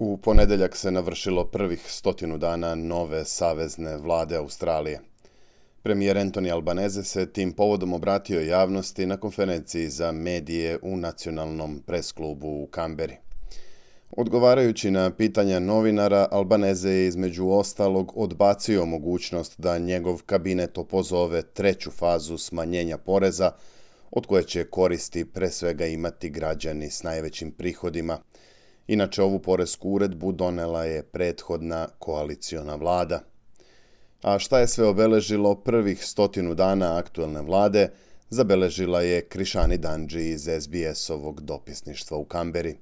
U ponedeljak se navršilo prvih 100 dana nove savezne vlade Australije. Premijer Anthony Albanese se tim povodom obratio javnosti na konferenciji za medije u nacionalnom presklubu u Kamberi. Odgovarajući na pitanja novinara, Albanese je između ostalog odbacio mogućnost da njegov kabinet opozove treću fazu smanjenja poreza, od koje će koristi pre svega imati građani s najvećim prihodima. Inače, ovu poresku uredbu donela je prethodna koaliciona vlada. A šta je sve obeležilo prvih 100 dana aktuelne vlade, zabeležila je Krishani Dungee iz SBS-ovog dopisništva u Kamberi.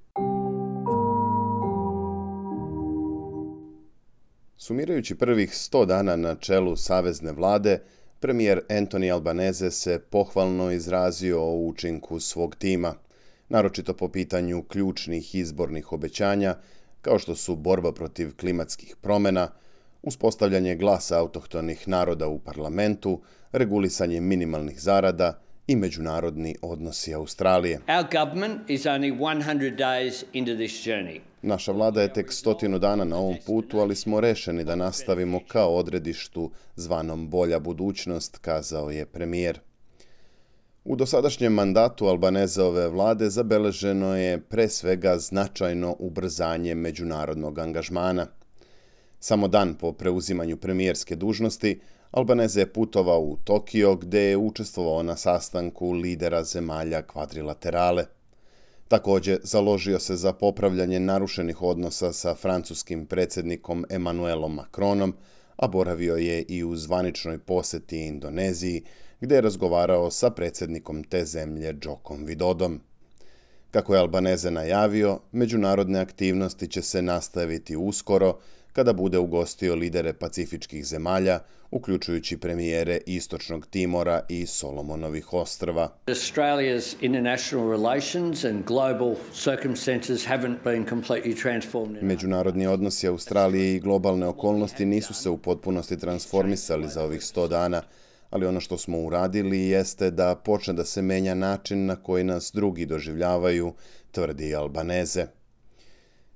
Sumirajući prvih 100 dana na čelu savezne vlade, premijer Anthony Albanese se pohvalno izrazio o učinku svog tima, naročito po pitanju ključnih izbornih obećanja, kao što su borba protiv klimatskih promjena, uspostavljanje glasa autohtonih naroda u parlamentu, regulisanje minimalnih zarada i međunarodni odnosi Australije. Our government is only 100 days into this journey. Naša vlada je tek 100 dana na ovom putu, ali smo rešeni da nastavimo kao odredištu zvanom bolja budućnost, kazao je premijer. U dosadašnjem mandatu Albaneseove vlade zabeleženo je pre svega značajno ubrzanje međunarodnog angažmana. Samo dan po preuzimanju premijerske dužnosti, Albanese je putovao u Tokio, gde je učestvovao na sastanku lidera zemalja kvadrilaterale. Također, založio se za popravljanje narušenih odnosa sa francuskim predsjednikom Emmanuelom Macronom, a boravio je i u zvaničnoj poseti Indoneziji, gdje je razgovarao sa predsjednikom te zemlje Jokom Vidodom. Kako je Albanese najavio, međunarodne aktivnosti će se nastaviti uskoro, kada bude ugostio lidere pacifičkih zemalja, uključujući premijere Istočnog Timora i Solomonovih ostrva. Australia's international relations and global circumstances haven't been completely transformed. Međunarodni odnosi Australije i globalne okolnosti nisu se u potpunosti transformisali za ovih 100 dana, ali ono što smo uradili jeste da počne da se menja način na koji nas drugi doživljavaju, tvrdi Albanese.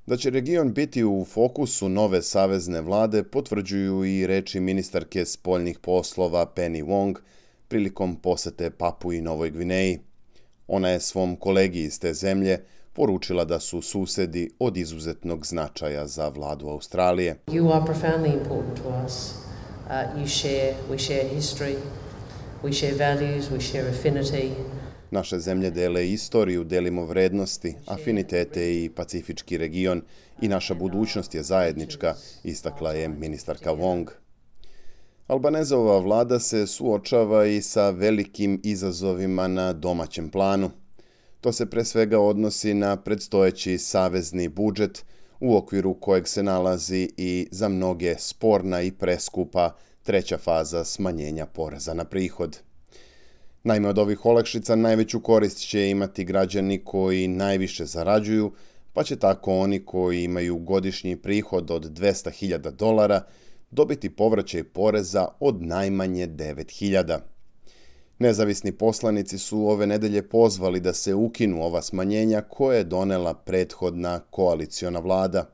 Da će region biti u fokusu nove savezne vlade potvrđuju i reči ministarke spoljnih poslova Penny Wong prilikom posete Papui Novoj Gvineji. Ona je svom kolegi iz te zemlje poručila da su susedi od izuzetnog značaja za vladu Australije. You are profoundly important to us. We share history, we share values, we share affinity. Naše zemlje dele istoriju, delimo vrednosti, afinitete i pacifički region i naša budućnost je zajednička, istakla je ministarka Wong. Albaneseova vlada se suočava i sa velikim izazovima na domaćem planu. To se pre svega odnosi na predstojeći savezni budžet, u okviru kojeg se nalazi i za mnoge sporna i preskupa treća faza smanjenja poreza na prihod. Naime, od ovih olakšica najveću korist će imati građani koji najviše zarađuju, pa će tako oni koji imaju godišnji prihod od $200,000 dobiti povraćaj poreza od najmanje $9,000. Nezavisni poslanici su ove nedelje pozvali da se ukinu ova smanjenja koje je donela prethodna koaliciona vlada.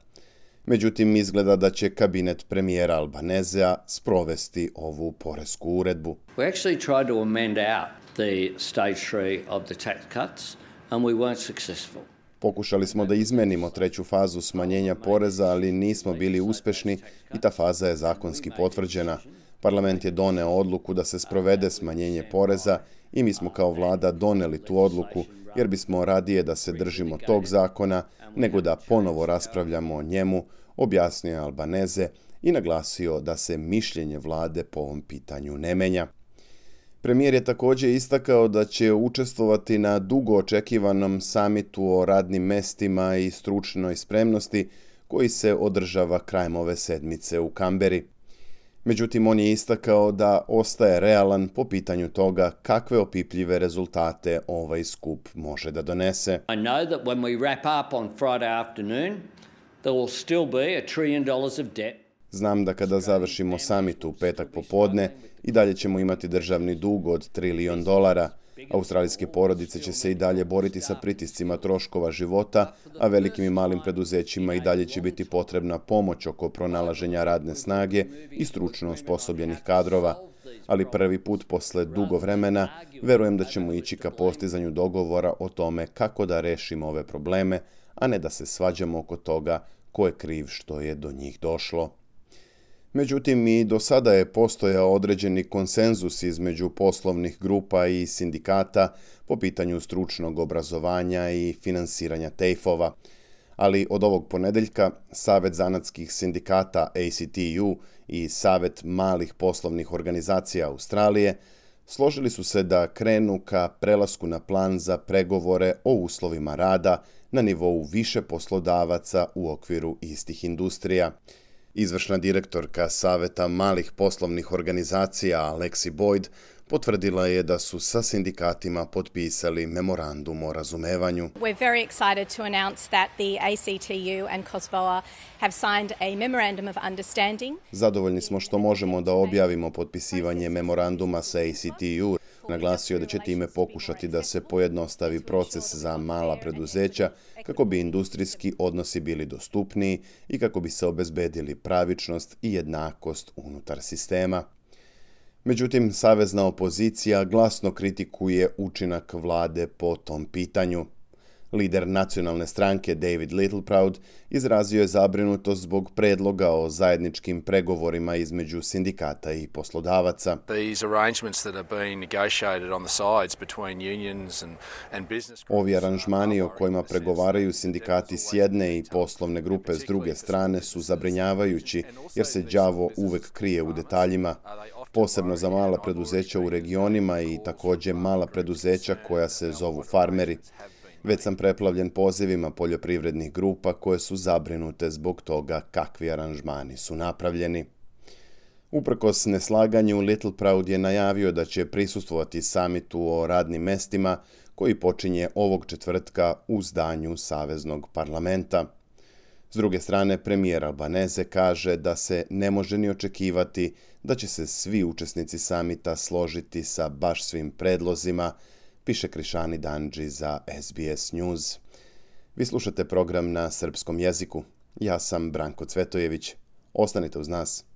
Međutim, izgleda da će kabinet premijera Albanesea sprovesti ovu poresku uredbu. We actually tried to amend out the stage 3 of the tax cuts and we weren't successful. Pokušali smo da izmenimo treću fazu smanjenja poreza, ali nismo bili uspešni i ta faza je zakonski potvrđena. Parlament je doneo odluku da se sprovede smanjenje poreza i mi smo kao vlada doneli tu odluku, jer bismo radije da se držimo tog zakona nego da ponovo raspravljamo o njemu, objasnio je Albanese i naglasio da se mišljenje vlade po ovom pitanju ne menja. Premijer je također istakao da će učestvovati na dugo očekivanom samitu o radnim mestima i stručnoj spremnosti koji se održava krajem ove sedmice u Kamberi. Međutim, on je istakao da ostaje realan po pitanju toga kakve opipljive rezultate ovaj skup može da donese. I know that when we wrap up on Friday afternoon, there will still be $1 trillion of debt. Znam da kada završimo samit u petak popodne, i dalje ćemo imati državni dug od $1 trilion, Australijske porodice će se i dalje boriti sa pritiscima troškova života, a velikim i malim preduzećima i dalje će biti potrebna pomoć oko pronalaženja radne snage i stručno osposobljenih kadrova. Ali prvi put posle dugo vremena verujem da ćemo ići ka postizanju dogovora o tome kako da rešimo ove probleme, a ne da se svađamo oko toga ko je kriv što je do njih došlo. Međutim, i do sada je postojao određeni konsenzus između poslovnih grupa i sindikata po pitanju stručnog obrazovanja i finansiranja TAFE-ova. Ali od ovog ponedeljka Savet zanatskih sindikata ACTU i Savet malih poslovnih organizacija Australije složili su se da krenu ka prelasku na plan za pregovore o uslovima rada na nivou više poslodavaca u okviru istih industrija. Izvršna direktorka Saveta malih poslovnih organizacija Alexi Boyd potvrdila je da su sa sindikatima potpisali memorandum o razumevanju. We're very excited to announce that the ACTU and COSBOA have signed a memorandum of understanding. Zadovoljni smo što možemo da objavimo potpisivanje memoranduma sa ACTU. Naglasio da će time pokušati da se pojednostavi proces za mala preduzeća kako bi industrijski odnosi bili dostupniji i kako bi se obezbedili pravičnost i jednakost unutar sistema. Međutim, savezna opozicija glasno kritikuje učinak vlade po tom pitanju. Lider nacionalne stranke David Littleproud izrazio je zabrinutost zbog predloga o zajedničkim pregovorima između sindikata i poslodavaca. Ovi aranžmani o kojima pregovaraju sindikati s jedne i poslovne grupe s druge strane su zabrinjavajući jer se đavo uvek krije u detaljima. Posebno za mala preduzeća u regionima i također mala preduzeća koja se zovu farmeri. Već sam preplavljen pozivima poljoprivrednih grupa koje su zabrinute zbog toga kakvi aranžmani su napravljeni. Uprkos neslaganju, Littleproud je najavio da će prisustvovati samitu o radnim mestima koji počinje ovog četvrtka u zdanju Saveznog parlamenta. S druge strane, premijer Albanese kaže da se ne može ni očekivati da će se svi učesnici samita složiti sa baš svim predlozima, piše Krišani Danđi za SBS News. Vi slušate program na srpskom jeziku. Ja sam Branko Cvetojević. Ostanite uz nas.